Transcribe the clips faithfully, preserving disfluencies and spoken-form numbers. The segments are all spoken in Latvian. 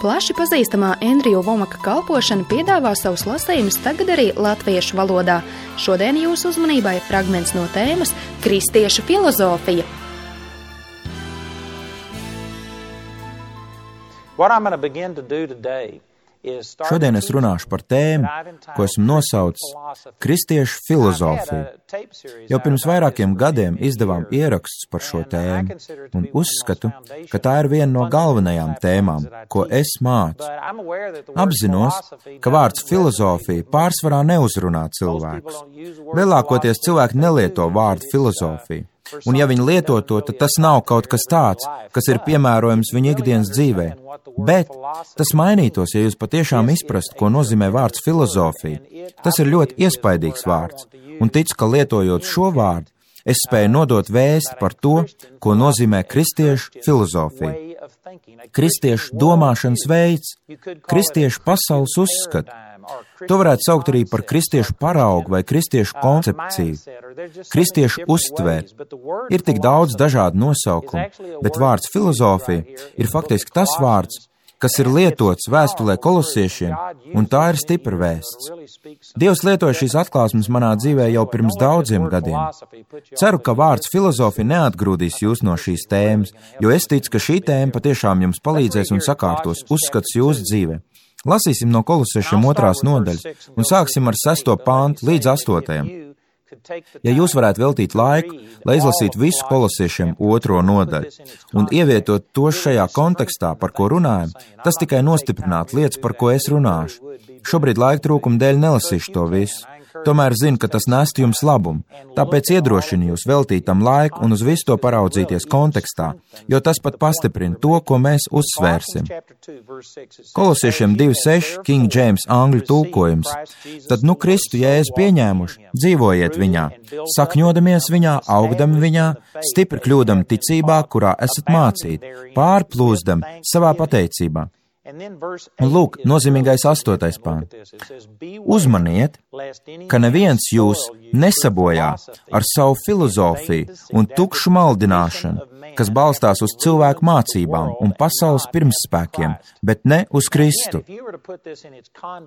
Plaši pazīstamā Endriju Vomaka kalpošana piedāvā savus lasījumus tagad arī latviešu valodā. Šodien jūsu uzmanībai fragments no tēmas Kristiešu filozofija. What I'm going to begin to do today Šodien es runāšu par tēmu, ko esmu nosaucis Kristiešu filozofiju. Jau pirms vairākiem gadiem izdevām ierakstus par šo tēmu, un uzskatu, ka tā ir viena no galvenajām tēmām, ko es mācu. Apzinos, ka vārds filozofija pārsvarā neuzrunā cilvēkus. Lielākoties cilvēki nelieto vārdu filozofiju. Un ja viņi lieto to, tad tas nav kaut kas tāds, kas ir piemērojams viņu ikdienas dzīvē. Bet tas mainītos, ja jūs patiešām izprastu, ko nozīmē vārds filozofija. Tas ir ļoti iespaidīgs vārds, un ticu, ka lietojot šo vārdu, es spēju nodot vēsti par to, ko nozīmē kristiešu filozofija. Kristiešu domāšanas veids, kristiešu pasaules uzskatu. To varētu saukt arī par kristiešu paraugu vai kristiešu koncepciju, kristiešu uztvēri. Ir tik daudz dažādu nosaukumu, bet vārds filozofija ir faktiski tas vārds, kas ir lietots vēstulē kolosiešiem, un tā ir stipra vēsts. Dievs lietoja šīs atklāsmes manā dzīvē jau pirms daudziem gadiem. Ceru, ka vārds filozofija neatgrūdīs jūs no šīs tēmas, jo es ticu, ka šī tēma patiešām jums palīdzēs un sakārtos uzskats jūsu dzīvē. Lasīsim no kolosiešiem otrās nodaļas un sāksim ar sesto pāntu līdz astotajam. Ja jūs varētu veltīt laiku, lai izlasītu visu kolosiešiem otro nodaļu un ievietot to šajā kontekstā, par ko runājam, tas tikai nostiprinātu lietas, par ko es runāšu. Šobrīd laika trūkuma dēļ nelasīšu to visu. Tomēr zinu, ka tas nestu jums labumu, tāpēc iedrošinu jūs veltīt tam laiku un uz visu to paraudzīties kontekstā, jo tas pat pastiprina to, ko mēs uzsvērsim. Kolosiešiem divi seši, King James angļu tulkojums. Tad nu Kristu Jēzu pieņēmuši, dzīvojiet viņā, sakņodamies viņā, augdami viņā, stipri kļūdam ticībā, kurā esat mācīti, pārplūzdam savā pateicībā. Un lūk, nozīmīgais astotais pāns. Uzmaniet, ka neviens jūs nesabojā ar savu filozofiju un tukšu maldināšanu, kas balstās uz cilvēku mācībām un pasaules pirmsspēkiem, bet ne uz Kristu.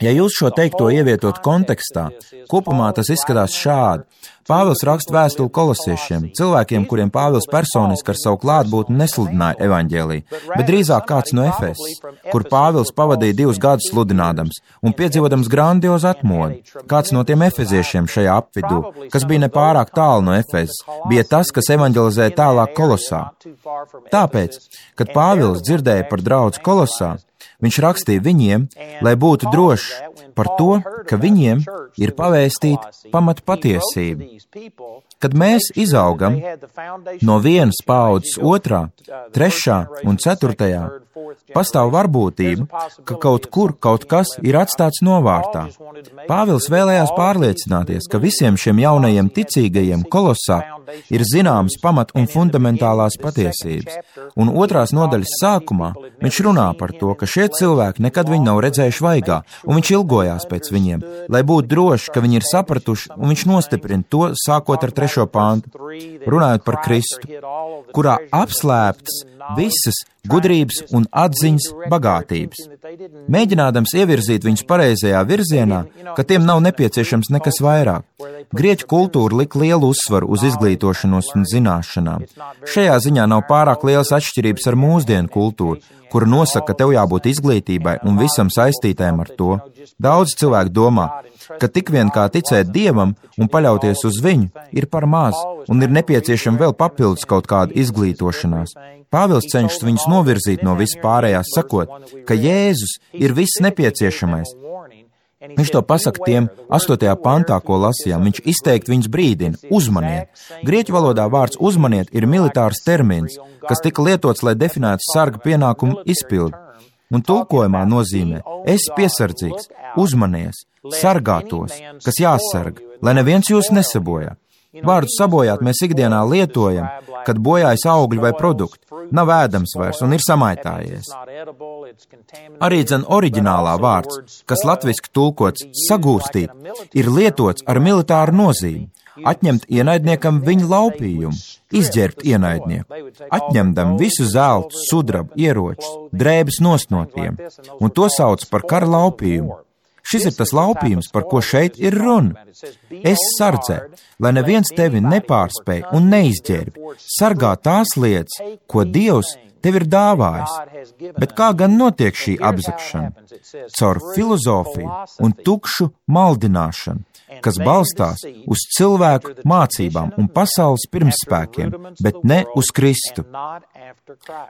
Ja jūs šo teikto ievietot kontekstā, kopumā tas izskatās šādi. Pāvils raksta vēstuli kolosiešiem, cilvēkiem, kuriem Pāvils personiski ar savu klātbūtni nesludināja evaņģēliju, bet drīzāk kāds no Efesas, kur Pāvils pavadīja divus gadus sludinādams un piedzīvodams grandiozu atmodu. Kāds no tiem efeziešiem šajā apvidū, kas bija nepārāk tālu no Efesas, bija tas, kas evaņģelizēja tālāk Kolosā. Tāpēc, kad Pāvils dzirdēja par draudzi Kolosā, viņš rakstīja viņiem, lai būtu drošs par to, ka viņiem ir pavēstīta pamat patiesība. Kad mēs izaugam no vienas paaudzes otrā, trešā un ceturtajā, pastāv varbūtība, ka kaut kur kaut kas ir atstāts novārtā. Pāvils vēlējās pārliecināties, ka visiem šiem jaunajiem ticīgajiem Kolosā ir zināmas pamat un fundamentālās patiesības. Un otrās nodaļas sākumā viņš runā par to, ka šie cilvēki nekad viņu nav redzējuši vaigā, un viņš ilgojās pēc viņiem, lai būtu droši, ka viņi ir sapratuši, un viņš nostiprina to, sākot ar trešo pāntu, runājot par Kristu, kurā apslēptas visas gudrības un atziņas bagātības. Mēģinādams ievirzīt viņus pareizajā virzienā, ka tiem nav nepieciešams nekas vairāk. Grieķu kultūra lika lielu uzsvaru uz izglītošanos un zināšanām. Šajā ziņā nav pārāk lielas atšķirības ar mūsdienu kultūru, kura nosaka, ka tev jābūt izglītībai un visam saistītēm ar to. Daudz cilvēku domā, ka tik vien kā ticēt Dievam un paļauties uz viņu ir par maz un ir nepieciešama vēl papildus kaut kāda izglītošanās. Pāvils cenšas viņus novirzīt no vispārējās, sakot, ka Jēzus ir viss nepieciešamais. Viņš to pasaka tiem astotajā pantā, ko lasījām. Viņš izteikti viņus brīdina, uzmaniet. Grieķu valodā vārds uzmaniet ir militārs termins, kas tika lietots, lai definētu sarga pienākumu izpildi. Un tulkojumā nozīmē, esi piesardzīgs, uzmanies, sargātos, kas jāsarga, lai neviens jūs nesabojā. Vārdu sabojāt mēs ikdienā lietojam, kad bojājas augļi vai produkti, nav ēdams vairs un ir samaitājies. Arī dzen oriģinālā vārds, kas latviski tulkots sagūstīt, ir lietots ar militāru nozīmi. atņemt ienaidniekam viņa laupījumu, izģērbt ienaidnieku, atņemdam visu zeltu, sudrabu, ieročus, drēbes nost no tiem, un to sauc par kara laupījumu. Šis ir tas laupījums, par ko šeit ir runa. Es sardzē, lai neviens tevi nepārspēj un neizģērbi, sargā tās lietas, ko Dievs tev ir dāvājis. Bet kā gan notiek šī apzakšana? Caur filozofiju un tukšu maldināšanu, kas balstās uz cilvēku mācībām un pasaules pirmspēkiem, bet ne uz Kristu.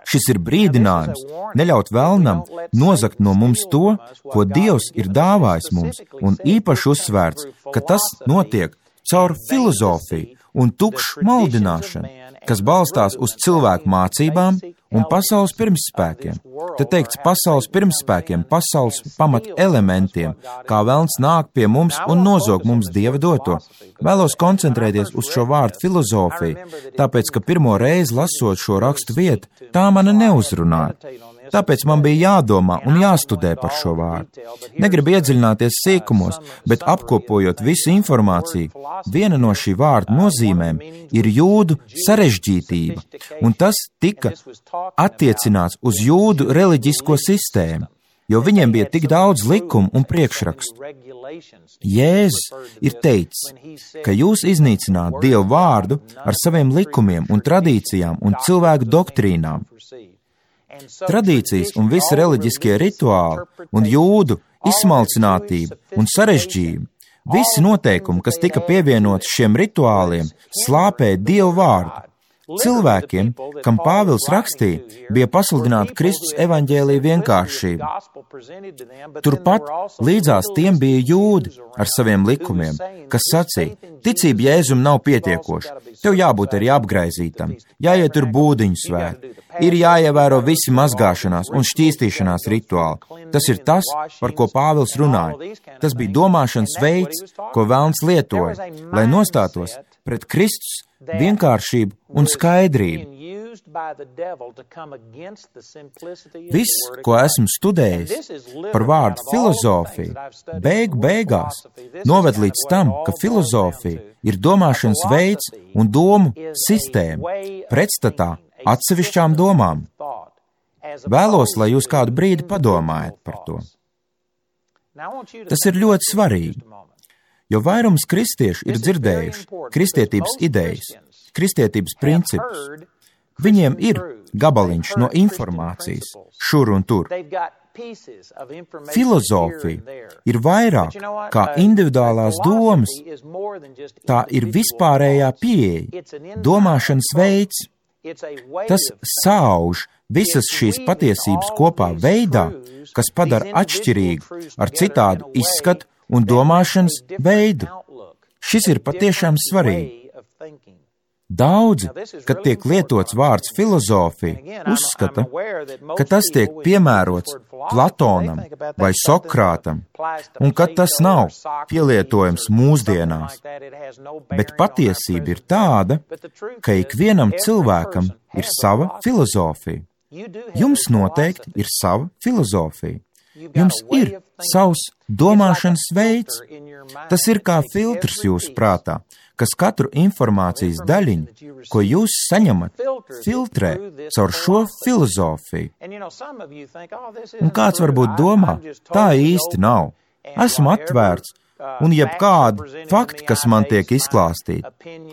Šis ir brīdinājums neļaut velnam nozagt no mums to, ko Dievs ir dāvājis mums, un īpaši uzsvērts, ka tas notiek caur filozofiju un tukšu maldināšanu, kas balstās uz cilvēku mācībām un pasaules pirmspēkiem. Te teikts pasaules pirmspēkiem, pasaules pamat elementiem, kā velns nāk pie mums un nozog mums Dieva doto. Vēlos koncentrēties uz šo vārdu filozofiju, tāpēc, ka pirmo reizi lasot šo rakstu vietu, tā mani neuzrunāja. Tāpēc man bija jādomā un jāstudē par šo vārdu. Negribu iedziļināties sīkumos, bet apkopojot visu informāciju, viena no šī vārda nozīmēm ir jūdu sarežģītība, un tas tika attiecināts uz jūdu reliģisko sistēmu, jo viņiem bija tik daudz likumu un priekšrakstu. Jēzus ir teicis, ka jūs iznīcināt Dievu vārdu ar saviem likumiem un tradīcijām un cilvēku doktrīnām. Tradīcijas un visi reliģiskie rituāli un jūdu izsmalcinātība un sarežģījumi, visi noteikumi, kas tika pievienoti šiem rituāliem, slāpēja Dievu vārdu. Cilvēkiem, kam Pāvils rakstīja, bija pasludināta Kristus evaņģēlija vienkāršība. Turpat līdzās tiem bija jūdi ar saviem likumiem, kas sacīja, ticība Jēzum nav pietiekoša, tev jābūt arī apgraizītam, jāiet tur būdiņu svēt, ir jāievēro visi mazgāšanās un šķīstīšanās rituāli. Tas ir tas, par ko Pāvils runāja. Tas bija domāšanas veids, ko velns lietoja, lai nostātos pret Kristus vienkāršību un skaidrību. Viss, ko esmu studējis par vārdu filozofiju, beigu beigās noved līdz tam, ka filozofija ir domāšanas veids un domu sistēma pretstatā atsevišķām domām. Vēlos, lai jūs kādu brīdi padomājat par to. Tas ir ļoti svarīgi, jo vairums kristiešu ir dzirdējuši kristietības idejas, kristietības principus. Viņiem ir gabaliņš no informācijas šur un tur. Filozofija ir vairāk kā individuālās domas, tā ir vispārējā pieeja, domāšanas veids. Tas sauž visas šīs patiesības kopā veidā, kas padara atšķirīgu ar citādu izskatu un domāšanas veidu. Šis ir patiešām svarīgi. Daudzi, kad tiek lietots vārds filozofija, uzskata, ka tas tiek piemērots Platonam vai Sokrātam, un ka tas nav pielietojams mūsdienās. Bet patiesība ir tāda, ka ikvienam cilvēkam ir sava filozofija. Jums noteikti ir sava filozofija. Jums ir savs domāšanas veids. Tas ir kā filtrs jūsu prātā, kas katru informācijas daļiņu, ko jūs saņemat, filtrē caur šo filozofiju. Un kāds varbūt domā, tā īsti nav. Esmu atvērts, un jebkādu faktu, kas man tiek izklāstīti,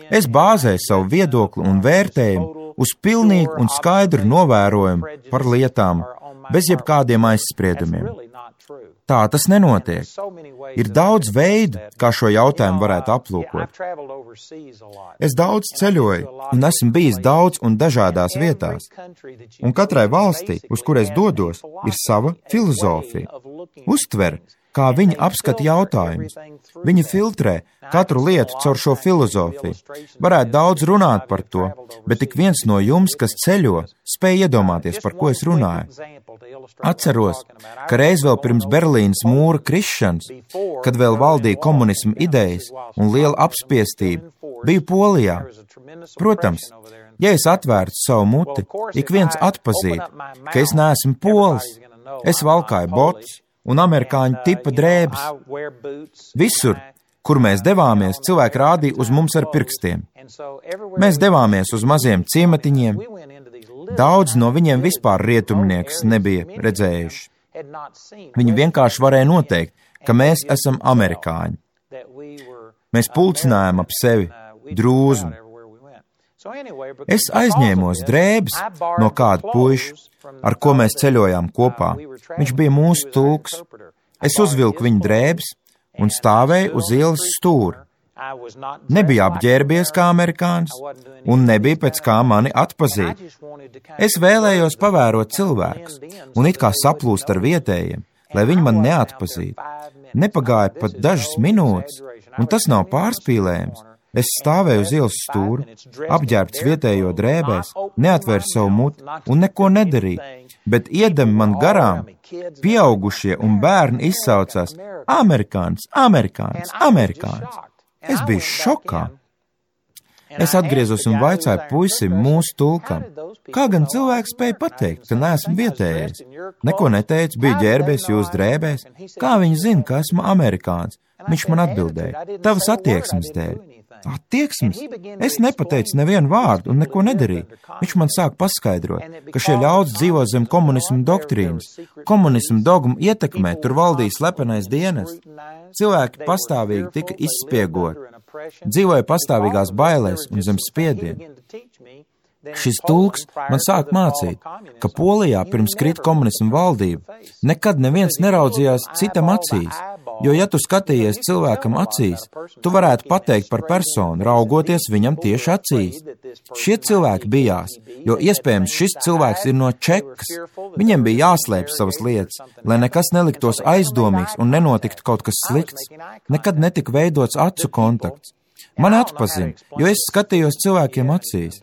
es bāzēju savu viedokli un vērtējumu uz pilnīgu un skaidru novērojumu par lietām, bez jebkādiem aizspriedumiem. Tā tas nenotiek. Ir daudz veidu, kā šo jautājumu varētu aplūkot. Es daudz ceļoju un esmu bijis daudz un dažādās vietās. Un katrai valstī, uz kur es dodos, ir sava filozofija. Uztver, kā viņi apskata jautājumus. Viņi filtrē katru lietu caur šo filozofiju. Varētu daudz runāt par to, bet tik viens no jums, kas ceļo, spēj iedomāties, par ko es runāju. Atceros, ka reiz vēl pirms Berlīnas mūra krišanas, kad vēl valdīja komunisma idejas un liela apspiestība, biju Polijā. Protams, ja es atvērtu savu muti, ik viens atpazītu, ka es neesmu polis. Es valkāju botus un amerikāņu tipa drēbes. Visur kur mēs devāmies, cilvēki rādīja uz mums ar pirkstiem. Mēs devāmies uz maziem ciematiņiem. Daudz no viņiem vispār rietumnieks nebija redzējuši. Viņi vienkārši varēja noteikt, ka mēs esam amerikāņi. Mēs pulcinājām ap sevi drūzmu. Es aizņēmos drēbes no kāda puiša, ar ko mēs ceļojām kopā. Viņš bija mūsu tulks. Es uzvilku viņa drēbes un stāvēju uz ielas stūra. Nebija apģērbies kā amerikānis un nebija pēc kā mani atpazīt. Es vēlējos pavērot cilvēkus un it kā saplūst ar vietējiem, lai viņi man neatpazītu. Nepagāja pat dažas minūtes, un tas nav pārspīlējums. Es stāvēju uz ielas stūra, apģērbts vietējo drēbēs, neatvēru savu muti un neko nedarīju, bet iedami man garām, pieaugušie un bērni izsaucās amerikānis, amerikānis, amerikānis. Es biju šokā. Es atgriezos un vaicāju puisim mūsu tulkam, kā gan cilvēks spēja pateikt, ka neesmu vietējais. Neko neteicu, biju ģērbies jūs drēbēs. Kā viņi zina, ka esmu amerikānis? Viņš man atbildēja, tavas attieksmes dēļ. Attieksmes? Es nepateicu nevienu vārdu un neko nedarīju. Viņš man sāk paskaidrot, ka šie ļaudis dzīvo zem komunismu doktrīnas. Komunismu dogmu ietekmē, tur valdīja slepenais dienas. Cilvēki pastāvīgi tika izspiegoti. Dzīvoja pastāvīgās bailēs un zem spiediena. Šis tulks man sāk mācīt, ka Polijā pirms krita komunismu valdība nekad neviens neraudzījās citam acīs, jo ja tu skatījies cilvēkam acīs, tu varētu pateikt par personu, raugoties viņam tieši acīs. Šie cilvēki bijās, jo iespējams šis cilvēks ir no Čekas. Viņiem bija jāslēp savas lietas, lai nekas neliktos aizdomīgs un nenotiktu kaut kas slikts. Nekad netika veidots acu kontakts. Man atpazina, jo es skatījos cilvēkiem acīs.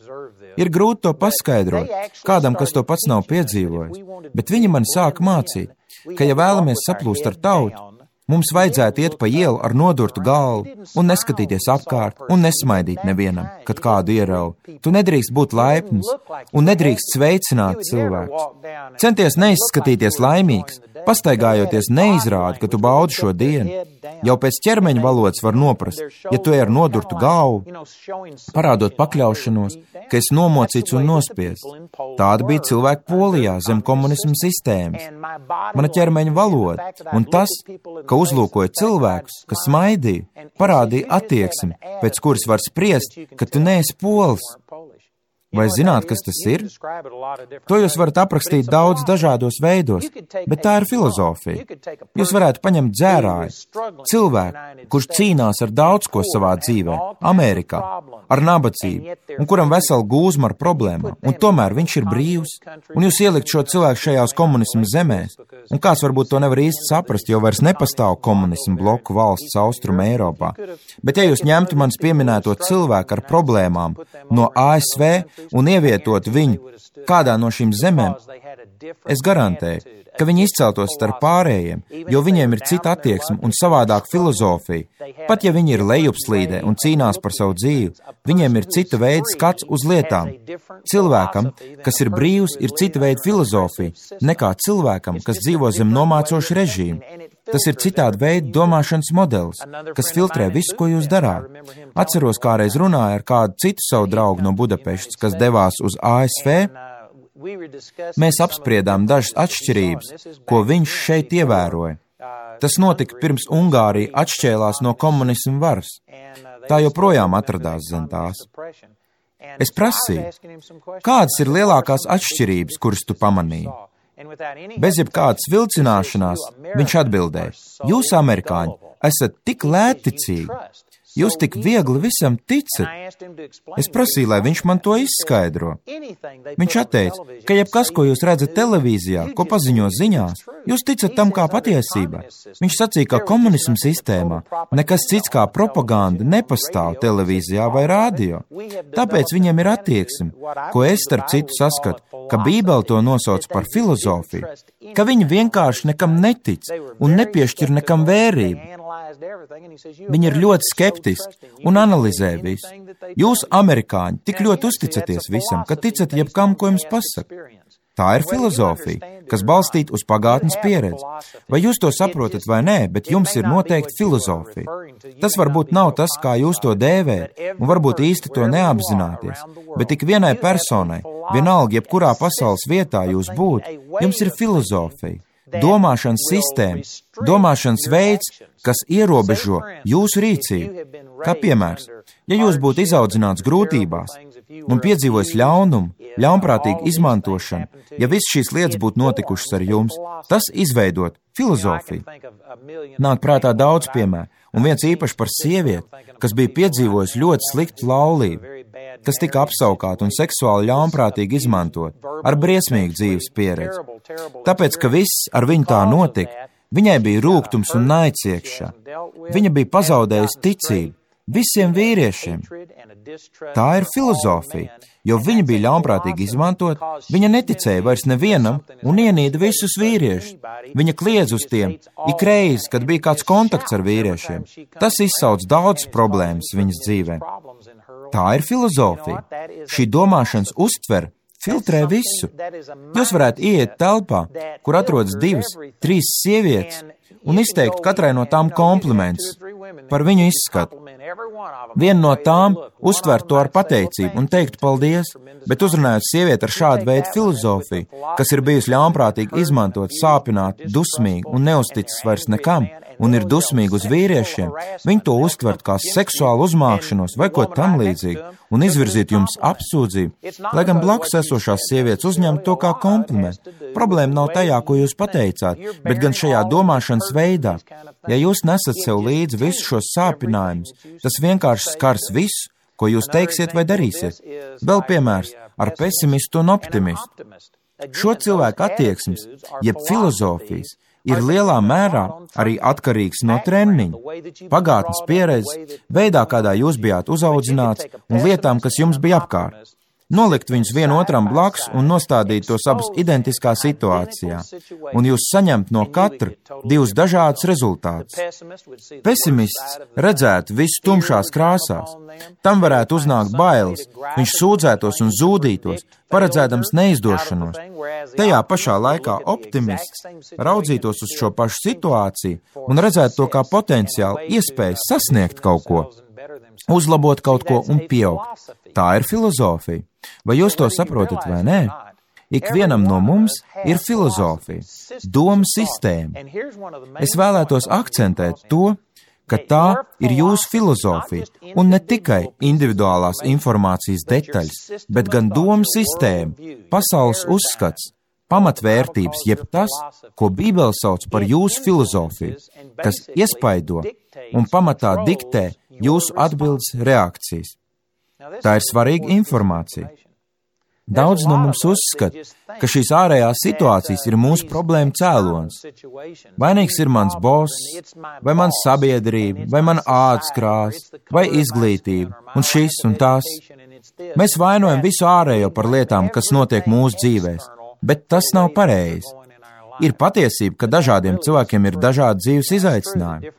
Ir grūti to paskaidrot, kādam, kas to pats nav piedzīvojis, bet viņi man sāka mācīt, ka ja vēlamies saplūst ar tautu, mums vajadzētu iet pa ielu ar nodurtu galvu un neskatīties apkārt un nesmaidīt nevienam, kad kādu ierauj. Tu nedrīkst būt laipns un nedrīkst sveicināt cilvēkus. Centies neizskatīties laimīgs, pastaigājoties neizrādi, ka tu baudi šo dienu. Jau pēc ķermeņa valodas var noprast, ja tu ej ar nodurtu galvu, parādot pakļaušanos, ka esi nomocīts un nospiests. Tāda bija cilvēka Polijā zem komunismu sistēmas. Mana ķermeņa valoda un tas, ka uzlūkoja cilvēkus, kas smaidīja, parādīja attieksmi, pēc kuras var spriest, ka tu neesi polis. Vai zināt, kas tas ir? To jūs varat aprakstīt daudz dažādos veidos, bet tā ir filozofija. Jūs varētu paņemt dzērāju, cilvēku, kurš cīnās ar daudz ko savā dzīvē, Amerikā, ar nabadzību, un kuram vesela gūzma ar problēmām, un tomēr viņš ir brīvs, un jūs ielikt šo cilvēku šajās komunismu zemēs, un kāds varbūt to nevar īsti saprast, jo vairs nepastāv komunismu bloku valsts Austruma Eiropā. Bet ja jūs ņemtu manis pieminēto cilvēku ar problēmām no A S V, un ievietot viņu kādā no šīm zemēm, es garantēju, ka viņi izceltos starp pārējiem, jo viņiem ir cita attieksme un savādāka filozofija. Pat ja viņi ir lejupslīdē un cīnās par savu dzīvi, viņiem ir cita veida skats uz lietām. Cilvēkam, kas ir brīvs, ir cita veida filozofija nekā cilvēkam, kas dzīvo zem nomācoša režīma. Tas ir citāda veida domāšanas modelis, kas filtrē visu, ko jūs darāt. Atceros, kādreiz runāju ar kādu citu savu draugu no Budapeštas, kas devās uz A S V. Mēs apspriedām dažas atšķirības, ko viņš šeit ievēroja. Tas notika pirms Ungārija atšķēlās no komunismu varas. Tā joprojām atradās zem tās. Es prasīju, kādas ir lielākās atšķirības, kuras tu pamanīji? Bez jebkādas vilcināšanās viņš atbildēja, jūs, amerikāņi, esat tik lētticīgi, jūs tik viegli visam ticat. Es prasīju, lai viņš man to izskaidro. Viņš atteica, ka jebkas, ko jūs redzat televīzijā, ko paziņo ziņās, jūs ticat tam kā patiesībai. Viņš sacīja, ka komunismu sistēmā nekas cits kā propaganda nepastāv televīzijā vai rādio. Tāpēc viņiem ir attieksme, ko es starp citu saskatu, ka Bībele to nosauc par filozofiju, ka viņi vienkārši nekam netic un nepiešķir nekam vērību. Viņi ir ļoti skeptiski un analizē visu. Jūs, amerikāņi, tik ļoti uzticaties visam, ka ticat jebkam, ko jums pasaka. Tā ir filozofija, kas balstīta uz pagātnes pieredzi. Vai jūs to saprotat vai nē, bet jums ir noteikti filozofija. Tas varbūt nav tas, kā jūs to dēvējat, un varbūt īsti to neapzināties, bet tik vienai personai, vienalga, jebkurā pasaules vietā jūs būtu, jums ir filozofija, domāšanas sistēma, domāšanas veids, kas ierobežo jūsu rīcību. Kā piemērs, ja jūs būtu izaudzināts grūtībās un piedzīvojis ļaunumu, ļaunprātīgu izmantošanu, ja viss šīs lietas būtu notikušas ar jums, tas izveidot filozofiju. Nāk prātā daudz piemēru, un viens īpaši par sievieti, kas bija piedzīvojusi ļoti sliktu laulību, kas tika apsaukāta un seksuāli ļaunprātīgi izmantot, ar briesmīgu dzīves pieredzi. Tāpēc, ka viss ar viņu tā notika, viņai bija rūgtums un naids iekšā. Viņa bija pazaudējusi ticību visiem vīriešiem. Tā ir filozofija, jo viņa bija ļaunprātīgi izmantot, viņa neticēja vairs nevienam un ienīda visus vīriešus. Viņa kliedz uz tiem ik reizi, kad bija kāds kontakts ar vīriešiem. Tas izsauc daudz problēmas viņas dzīvē. Tā ir filozofija. Šī domāšanas uztver filtrē visu. Jūs varētu ieiet telpā, kur atrodas divas, trīs sievietes, un izteikt katrai no tām komplimentus par viņu izskatu. Viena no tām uztver to ar pateicību un teikt paldies, bet uzrunājot sievieti ar šādu veidu filozofiju, kas ir bijusi ļaunprātīgi izmantot, sāpināt, dusmīgi un neusticis vairs nekam, un ir dusmīgi uz vīriešiem, viņi to uztvert kā seksuālu uzmākšanos vai ko tam līdzīgu, un izvirzīt jums apsūdzību, lai gan blakus esošās sievietes uzņemtu to kā komplimentu. Problēma nav tajā, ko jūs pateicāt, bet gan šajā domāšanas veidā. Ja jūs nesat sev līdzi visus šos sāpinājumus, tas vienkārši skars visu, ko jūs teiksiet vai darīsiet. Vēl piemērs ar pesimistu un optimistu. Šo cilvēku attieksmes, jeb filozofijas, ir lielā mērā arī atkarīgs no treniņa, pagātnes pieredzes, veidā, kādā jūs bijāt uzaudzināts un lietām, kas jums bija apkārt. Nolikt viņus vienotram blakus un nostādīt tos abus identiskā situācijā, un jūs saņemt no katra divus dažādus rezultātus. Pesimists redzētu visu tumšās krāsās. Tam varētu uznākt bailes, viņš sūdzētos un zūdītos, paredzēdams neizdošanos. Tajā pašā laikā optimists raudzītos uz šo pašu situāciju un redzētu to kā potenciāli iespēju sasniegt kaut ko, uzlabot kaut ko un pieaugt. Tā ir filozofija. Vai jūs to saprotat vai nē? Ikvienam no mums ir filozofija, doma sistēma. Es vēlētos akcentēt to, ka tā ir jūsu filozofija, un ne tikai individuālās informācijas detaļas, bet gan doma sistēma, pasaules uzskats, pamatvērtības, jeb tas, ko Bībele sauc par jūsu filozofiju, kas iespaido un pamatā diktē jūsu atbildes reakcijas. Tā ir svarīga informācija. Daudz no mums uzskata, ka šīs ārējās situācijas ir mūsu problēma cēlonis. Vainīgs ir mans boss, vai mana sabiedrība, vai mana ādas krāsa, vai izglītība, un šis un tās. Mēs vainojam visu ārējo par lietām, kas notiek mūsu dzīvēs, bet tas nav pareizi. Ir patiesība, ka dažādiem cilvēkiem ir dažādi dzīves izaicinājumi,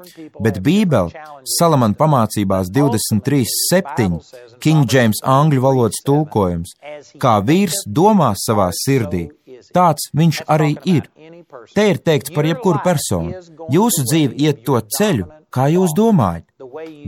bet Bībele, Salamana pamācībās divdesmit trīs septiņi, King James angļu valodas tulkojums, kā vīrs domā savā sirdī, tāds viņš arī ir. Te ir teikts par jebkuru personu. Jūsu dzīve iet to ceļu, kā jūs domājat.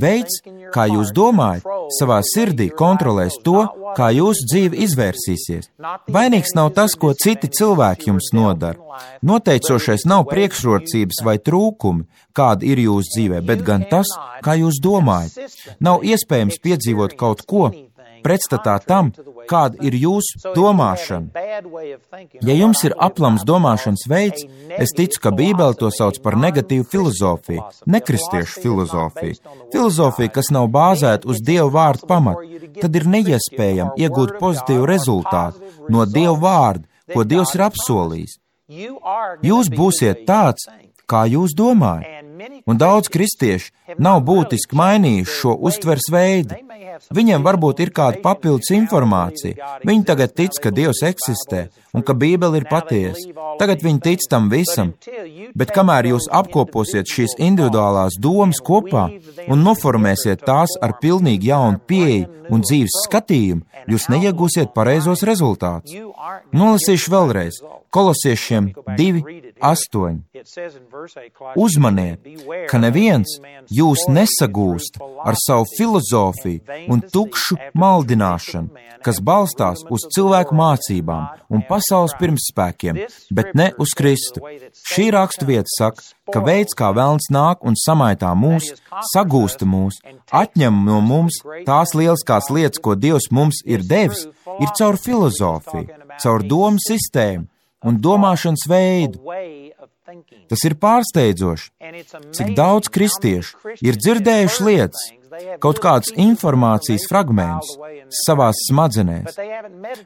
Veids, kā jūs domājat, savā sirdī kontrolēs to, kā jūsu dzīve izvērsīsies. Vainīgs nav tas, ko citi cilvēki jums nodara. Noteicošais nav priekšrocības vai trūkumi, kādi ir jūsu dzīvē, bet gan tas, kā jūs domājat. Nav iespējams piedzīvot kaut ko pretstatā tam, kāda ir jūsu domāšana. Ja jums ir aplams domāšanas veids, es ticu, ka Bībele to sauc par negatīvu filozofiju, nekristiešu filozofiju. Filozofija, kas nav bāzēta uz Dieva vārdu pamatu, tad ir neiespējami iegūt pozitīvu rezultātu no Dieva vārda, ko Dievs ir apsolījis. Jūs būsiet tāds, kā jūs domājat. Un daudz kristieši nav būtiski mainījuši šo uztvers veidu. Viņiem varbūt ir kāda papildus informācija. Viņi tagad tic, ka Dievs eksistē un ka Bībele ir patiesa. Tagad viņi tic tam visam. Bet kamēr jūs apkoposiet šīs individuālās domas kopā un noformēsiet tās ar pilnīgi jaunu pieeju un dzīves skatījumu, jūs neiegūsiet pareizos rezultātus. Nolasīšu vēlreiz. Kolosiešiem divi astoņi. Uzmaniet, ka neviens jūs nesagūst ar savu filozofiju un tukšu maldināšanu, kas balstās uz cilvēku mācībām un pasaules pirmspēkiem, bet ne uz Kristu. Šī raksturvieta saka, ka veids, kā velns nāk un samaitā mūs, sagūsta mūs, atņem no mums tās lieliskās lietas, ko Dievs mums ir devis, ir caur filozofiju, caur domu sistēmu un domāšanas veidu. Tas ir pārsteidzoši, cik daudz kristiešu ir dzirdējuši lietas, kaut kādas informācijas fragmentus savās smadzenēs,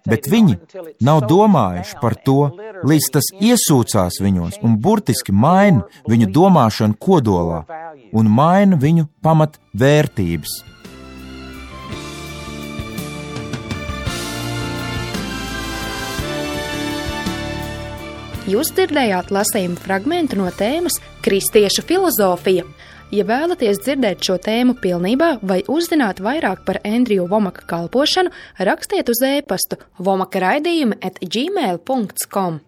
bet viņi nav domājuši par to, līdz tas iesūcās viņos un burtiski maina viņu domāšanu kodolā un maina viņu pamat vērtības. Jūs dzirdējāt lasījumu fragmentu no tēmas Kristiešu filozofija. Ja vēlaties dzirdēt šo tēmu pilnībā vai uzzināt vairāk par Andriju Vomaka kalpošanu, rakstiet uz e-pastu vomaka raidījumi at gmail punkt com.